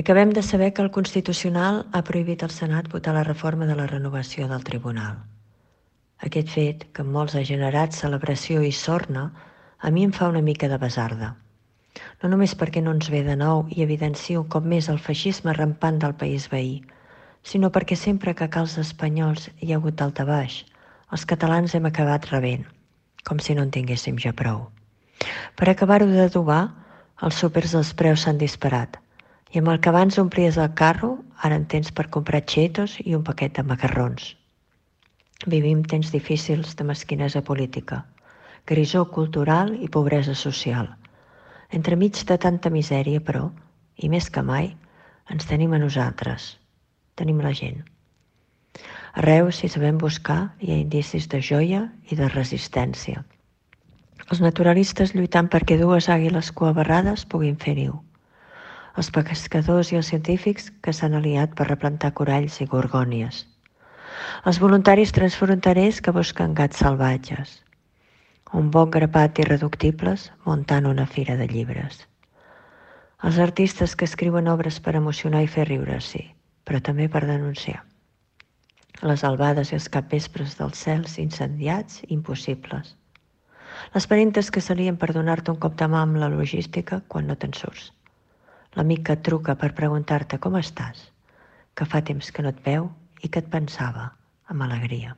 Acabem de saber que el Constitucional ha prohibit al Senat votar la reforma de la renovació del Tribunal. Aquest fet, que en molts ha generat celebració i sorna, a mi em fa una mica de basarda. No només perquè no ens ve de nou i evidencia un cop més el feixisme rampant del país veí, sinó perquè sempre que a cals espanyols hi ha hagut daltabaix, els catalans hem acabat rebent, com si no en tinguéssim ja prou. Per acabar-ho d'adobar, els súpers dels preus s'han disparat, i amb el que abans omplies el carro, ara en tens per comprar xetos i un paquet de macarrons. Vivim temps difícils de mesquinesa política, grisor cultural i pobresa social. Entremig de tanta misèria, però, i més que mai, ens tenim a nosaltres. Tenim la gent. Arreu, si sabem buscar, hi ha indicis de joia i de resistència. Els naturalistes lluitant perquè dues àguiles coabarrades puguin fer niu. Els pescadors i els científics que s'han aliat per replantar coralls i gorgònies. Els voluntaris transfronterers que busquen gats salvatges. Un bon grapat d'irreductibles muntant una fira de llibres. Els artistes que escriuen obres per emocionar i fer riure, sí, però també per denunciar. Les albades i els capvespres dels cels incendiats, impossibles. Les parentes que s'alien per donar-te un cop de mà amb la logística quan no te'n surts. L'amic que et truca per preguntar-te com estàs, que fa temps que no et veu i que et pensava amb alegria.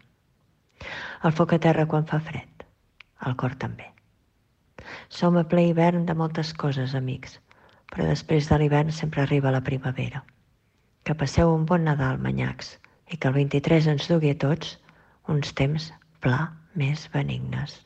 El foc a terra quan fa fred, el cor també. Som a ple hivern de moltes coses, amics, però després de l'hivern sempre arriba la primavera. Que passeu un bon Nadal, manyacs, i que el 23 ens dugui a tots uns temps pla més benignes.